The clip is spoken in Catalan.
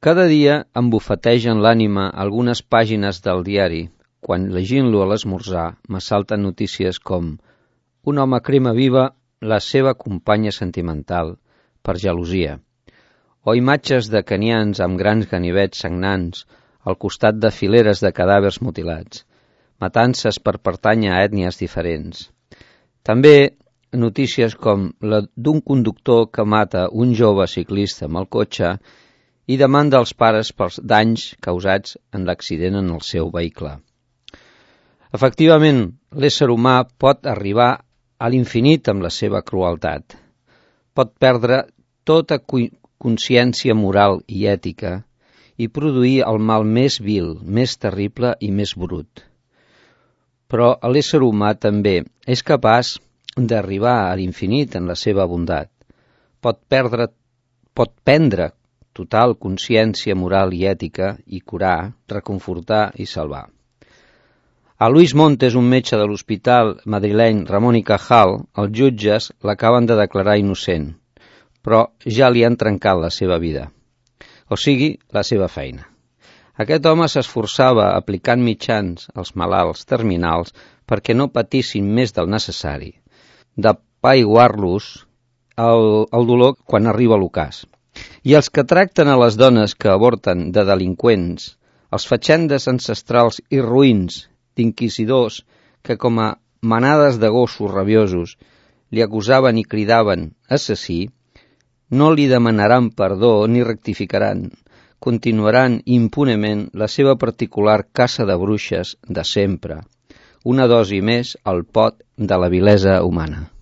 Cada dia em bufetegen l'ànima algunes pàgines del diari. Quan llegint-lo a l'esmorzar m'assalten notícies com: un home crema viva la seva companya sentimental per gelosia, o imatges de canians amb grans ganivets sagnants al costat de fileres de cadàvers mutilats, matances per pertànyer a ètnies diferents. També notícies com la d'un conductor que mata un jove ciclista amb el cotxe i demanda als pares pels danys causats en l'accident en el seu vehicle. Efectivament, l'ésser humà pot arribar a l'infinit amb la seva crueltat. Pot perdre tota consciència moral i ètica i produir el mal més vil, més terrible i més brut. Però l'ésser humà també és capaç d'arribar a l'infinit en la seva bondat. Pot prendre total consciència moral i ètica i curar, reconfortar i salvar. A Luis Montes, un metge de l'hospital madrileny Ramón y Cajal, els jutges l'acaben de declarar innocent, però ja li han trencat la seva vida, o sigui, la seva feina. Aquest home s'esforçava aplicant mitjans als malalts terminals perquè no patissin més del necessari, d'apaiguar-los el dolor quan arriba l'ocàs. I els que tracten a les dones que avorten de delinqüents, els fatxendes ancestrals i ruïns d'inquisidors que com a manades de gossos rabiosos li acusaven i cridaven assassí, no li demanaran perdó ni rectificaran, continuaran impunement la seva particular caça de bruixes de sempre, una dosi més al pot de la vilesa humana.